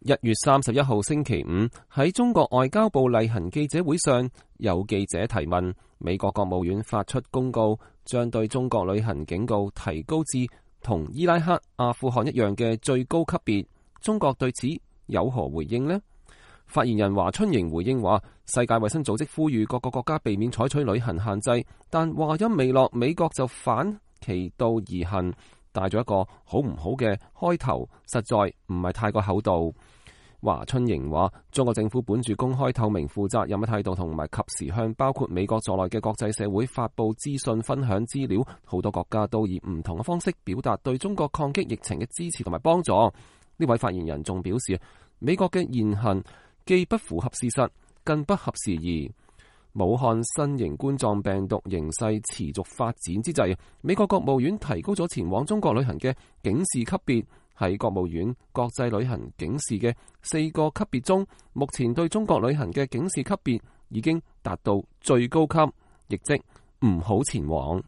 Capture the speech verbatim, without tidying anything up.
一月三十一號星期五喺中國外交部例行記者會上，有記者提問，美國國務院發出公告，將對中國旅行警告提高至同伊拉克、阿富汗一樣嘅最高級別。中國對此有何回應呢？發言人華春瑩回應話，世界衛生組織呼籲各個國家避免採取旅行限制，但話音未落，美國就反其道而行，帶咗一個好唔好嘅開頭，實在唔係太過厚道。華春瑩話，中國政府本住公開透明負責任嘅態度，同埋及時向包括美國在內嘅國際社會發布資訊、分享資料，好多國家都以唔同嘅方式表達對中國抗擊疫情嘅支持同埋幫助。呢位發言人仲表示，美國嘅言行既不符合事實，更不合時宜。武漢新型冠狀病毒形勢持續發展之際，美國國務院提高咗前往中國旅行嘅警示級別。喺國務院國際旅行警示嘅四個級別中，目前對中國旅行嘅警示級別已經達到最高級，亦即唔好前往。